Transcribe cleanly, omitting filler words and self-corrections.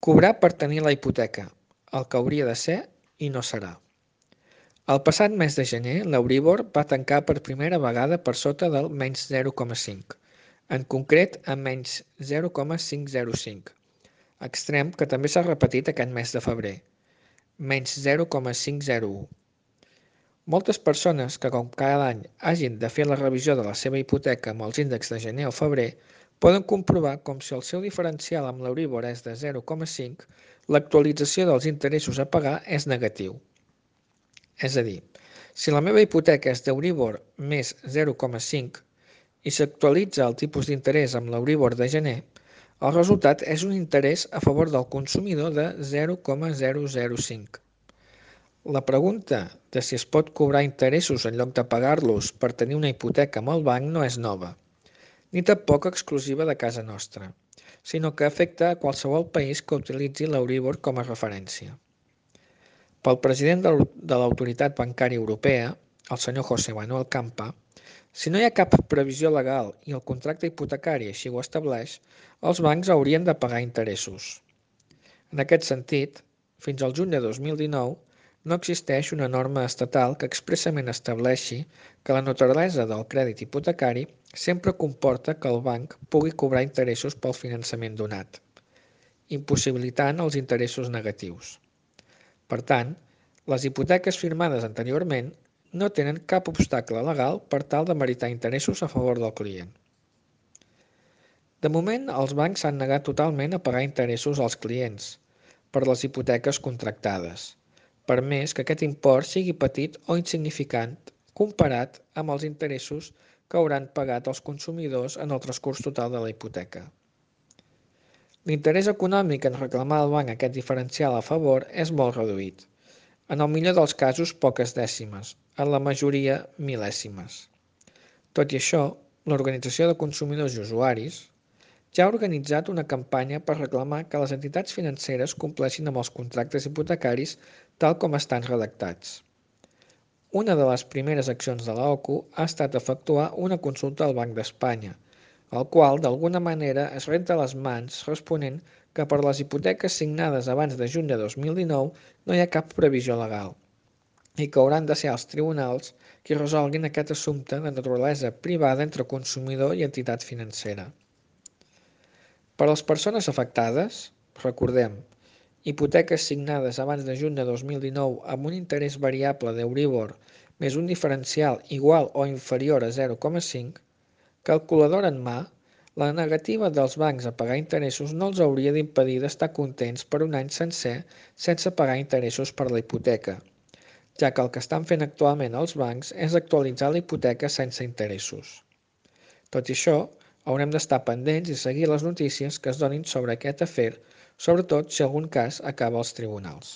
Cobrar per tenir la hipoteca, el que hauria de ser i no serà. El passat mes de gener, l'Euribor va tancar per primera vegada per sota del menys 0,5, en concret amb menys 0,505, extrem que també s'ha repetit aquest mes de febrer, menys 0,501. Moltes persones que com cada any hagin de fer la revisió de la seva hipoteca amb els índexs de gener o febrer poden comprovar com si el seu diferencial amb l'Euribor és de 0,5, l'actualització dels interessos a pagar és negatiu. És a dir, si la meva hipoteca és d'Euribor més 0,5 i s'actualitza el tipus d'interès amb l'Euribor de gener, el resultat és un interès a favor del consumidor de 0,005. La pregunta de si es pot cobrar interessos en lloc de pagar-los per tenir una hipoteca amb el banc no és nova, ni tampoc exclusiva de casa nostra, sinó que afecta a qualsevol país que utilitzi l'Euribor com a referència. Pel president de l'Autoritat Bancària Europea, el senyor José Manuel Campa, si no hi ha cap previsió legal i el contracte hipotecari així ho estableix, els bancs haurien de pagar interessos. En aquest sentit, fins al juny de 2019, no existeix una norma estatal que expressament estableixi que la naturalesa del crèdit hipotecari sempre comporta que el banc pugui cobrar interessos pel finançament donat, impossibilitant els interessos negatius. Per tant, les hipoteques firmades anteriorment no tenen cap obstacle legal per tal de meritar interessos a favor del client. De moment, els bancs s'han negat totalment a pagar interessos als clients per les hipoteques contractades, per més que aquest import sigui petit o insignificant comparat amb els interessos que hauran pagat els consumidors en el transcurs total de la hipoteca. L'interès econòmic en reclamar al banc aquest diferencial a favor és molt reduït, en el millor dels casos poques dècimes, en la majoria mil·lèsimes. Tot i això, l'Organització de Consumidors i Usuaris ja ha organitzat una campanya per reclamar que les entitats financeres compleixin amb els contractes hipotecaris tal com estan redactats. Una de les primeres accions de l'OCU ha estat efectuar una consulta al Banc d'Espanya, el qual d'alguna manera es renta les mans responent que per les hipoteques signades abans de juny de 2019 no hi ha cap previsió legal i que hauran de ser els tribunals qui resolguin aquest assumpte de naturalesa privada entre consumidor i entitat financera. Per a les persones afectades, recordem, hipoteques signades abans de juny de 2019 amb un interès variable d'Euribor més un diferencial igual o inferior a 0,5, calculadora en mà, la negativa dels bancs a pagar interessos no els hauria d'impedir d'estar contents per un any sencer sense pagar interessos per la hipoteca, ja que el que estan fent actualment els bancs és actualitzar la hipoteca sense interessos. Tot i això, haurem d'estar pendents i seguir les notícies que es donin sobre aquest afer, sobretot si algun cas acaba als tribunals.